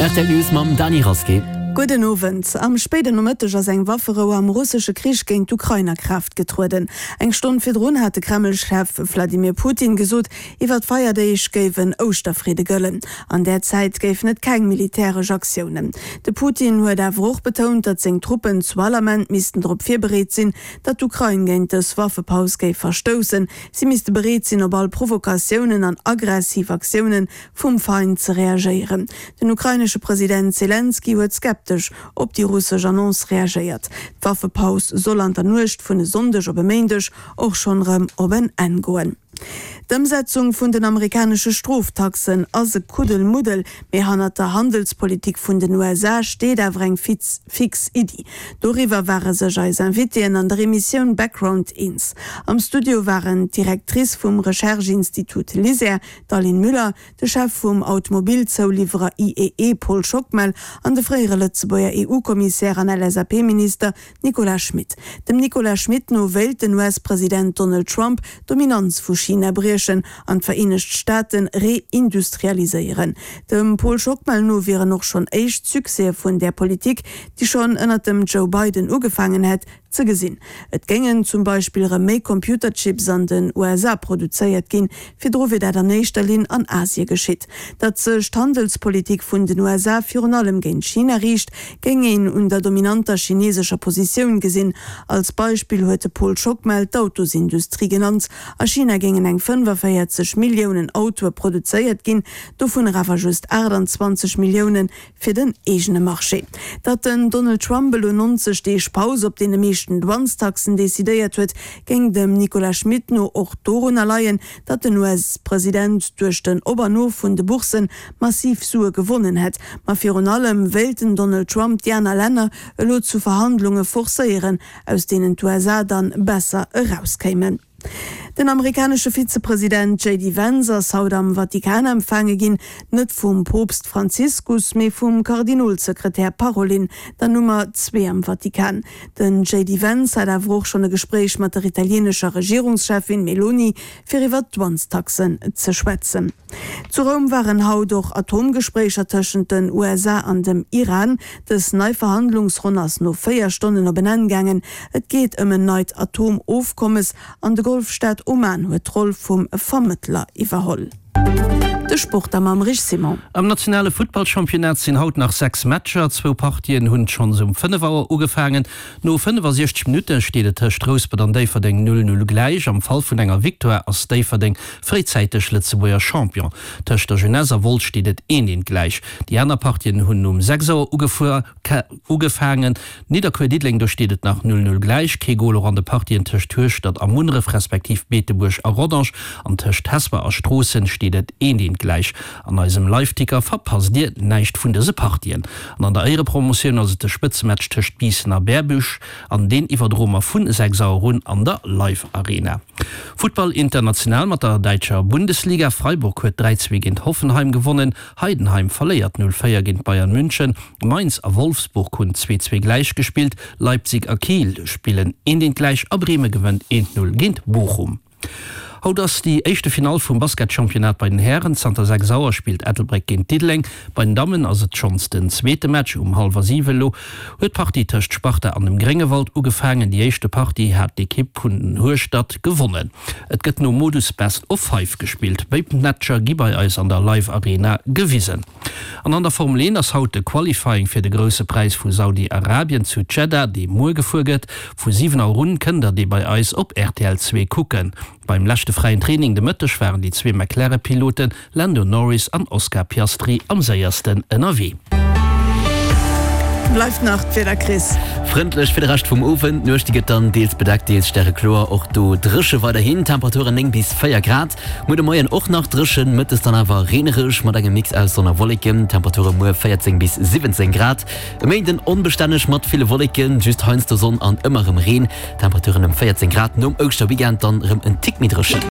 Rtl News mam Dany Rasqué. Gudden Owend. Am spéiden Nomëtteg ass eng Wafferou am russesche Krich géint d'Ukrain a Kraaft getrueden. Eng Stonn virdrun hat de Kreml-Chef Wladimir Putin gesot, iwwer d'Feierdeeg géif en Ouschterfridde gëllen. An där Zäit géifen et keng militäresch Aktiounen. De Putin huet awer och betount, datt seng Truppen zu all Ament missten drop virbereet sinn, datt d'Ukrain géint dës Waffepaus géif verstoussen. Si misste bereet sinn, op all Provokatiounen an aggressiv Aktioune vum Feind ze reagéieren. Den ukrainesche President Selenskyj huet skeptesch op déi russesch Annonce reagéiert. D'Waffepaus soll an der Nuecht vun e Sonndeg op e Méindeg och schonn erëm op en Enn goen. D'Ëmsetzung vun den amerikanesche Stroftaxen ass e Kuddelmuddel, mee hannert der Handelspolitik vun den USA steet awer eng fix Iddi. Doriwwer ware sech eis Invitéen an der Emissioun Background eens. Am Studio waren d'Directrice vum Recherche-Institut LISER, d'Aline Müller, de Chef vum Automobilzouliwwerer IEE Paul Schockmel an de fréiere Lëtzebuerger EU-Kommissär an LSAP-Minister Nicolas Schmit. Dem Nicolas Schmit no wéilt den US-President Donald Trump d'Dominanz vu China briechen an d'Vereenegt Staate reindustrialiséieren. Dem Paul Schockmel no wieren och schonn éischt Succèse vun där Politik, déi schonn ënnert dem Joe Biden ugefaangen hätt, Ze gesinn. Et géingen zum Beispill rëm méi Computerchips an den USA produzéiert ginn, virdru wier dat an éischter Linn an Asie geschitt. Datt sech d'Handelspolitik vun den USA virun allem géint China riicht, géing een un der dominanter chinesescher Positioun gesinn. Als Beispill huet de Paul Schockmel d'Autosindustrie genannt. A China géingen eng 45 Milliounen Autoe produzéiert ginn, dovunner awer just 28 Milliounen fir den eegene Marché. Datt den Donald Trump elo 90 Deeg Paus op deene meeschten Douanestaxen decidéiert huet, géing dem Nicolas Schmit no och dorunner leien, datt den US-President duerch den Op an Of vun de Bourssen massiv Sue gewonnen hätt. Ma virun allem wéilt den Donald Trump déi aner Länner elo zu Verhandlunge forcéieren, aus deenen d'USA dann besser erauskéimen. Den amerikanesche Vizepresident JD Vance ass haut am Vatikan empfaange ginn, net vum Poopst Franziskus, mee vum Kardinolsekretär Parolin, der Nummer 2 am Vatikan. Den JD Vance hat awer och schonn e Gespréich mat der italieenescher Regierungscheffin Meloni, fir iwwer d'Douanestaxen ze schwätzen. Zu Roum waren haut och Atomgespréicher tëschent den USA an dem Iran. Dës nei Verhandlungsronn ass no 4 Stonnen op en Enn gaangen. Et geet ëm en neit Atomofkommes an de Golfstaat Oman huet d'Roll vum Vermëttler iwwerholl. De Sport da mam Rich Simon. Am nationale Futtballchampionnat sinn haut nach 6 Matcher. Zwou Partien hunn schonns um 5 Auer ugefaangen. No 65 Minutte steet et tëscht Rouspert an Déifferdeng 0, 0 gläich. Am Fall vun enger Victoire ass Déifferdeng fréizäiteg Lëtzebuerger Champion. Tëscht der Jeunesse a Wolz steet et 1, 1 gläich. Déi aner Partien hunn um 6 Auer ugefaangen. Nidderkuer-Diddeleng, do steet et nach 0, 0 gläich. Kee Gol och an de Partien tëscht Hueschtert a Munneref respektiv Beetebuerg a Rodange an tëscht Hesper a Stroossen steet et 1, 1 gläich. An eisem Liveticker verpasst dir näischt vun dëse Partien. An an der Éierepromotioun ass et de Spëtzematch tëscht Biissen a Berbuerg an deen iwwerdroe mer vun 6 Auer un an der Live Arena. Futtball international mat der däitscher Bundesliga, Freiburg huet 3, 2 géint Hoffenheim gewonnen, Heidenheim verléiert 0, 4 géint Bayern München, Mainz a Wolfsburg hunn 2, 2 gläich gespillt, Leipzig a Kiel spillen 1, 1 gläich a Bremen gewënnt 1, 0 géint Bochum. Haut ass déi éischte Finall vum Basketchampionnat bei den Hären. Zanter 6 Auer spillt Ettelbréck géint Diddeleng. Bei den Dammen ass et schonns den zweete Match. Um hallwer 7 elo huet d'Partie tëscht Sparta an dem Gréngewald ugefaangen. Déi éischte Partie hat d'Ekipp vun Hueschtert gewonnen. Et gëtt nom Modus Best of Five gespillt. Béid Matcher gi bei eis an der Live Arena gewisen. An an der Formel 1 ass haut de Qualifying fir de Grousse Präis vu Saudi-Arabien zu Dschedda, dee muer gefuer gëtt. Vu 7 Auer un kënnt der dee bei eis op rtl 2 kucken. Beim leschte fräien Training de Mëtteg waren déi zwee McLaren-Piloten Lando Norris an Oscar Piastri am séiersten ënnerwee. Bleift nach d'Wieder, Chris. Frëndlech fir de Rescht vum Owend. D'Nuecht déi gëtt dann deels bedeckt, deels stärekloer, och do dréche weiderhin. Temperaturen 9 bis 4 Grad. Muer de Moien och nach dréchen, mëttes dann awer reenereg mat engem Mix aus Sonn a Wolleken. Temperature muer 14 bis 17 Grad. E Méinden onbestänneg mat ville Wolleken, just heiansdo Sonn an ëmmer rëm Reen. Temperaturen ëm 14 Grad, nom Ouschterweekend dann rëm en Tick méi dréchen.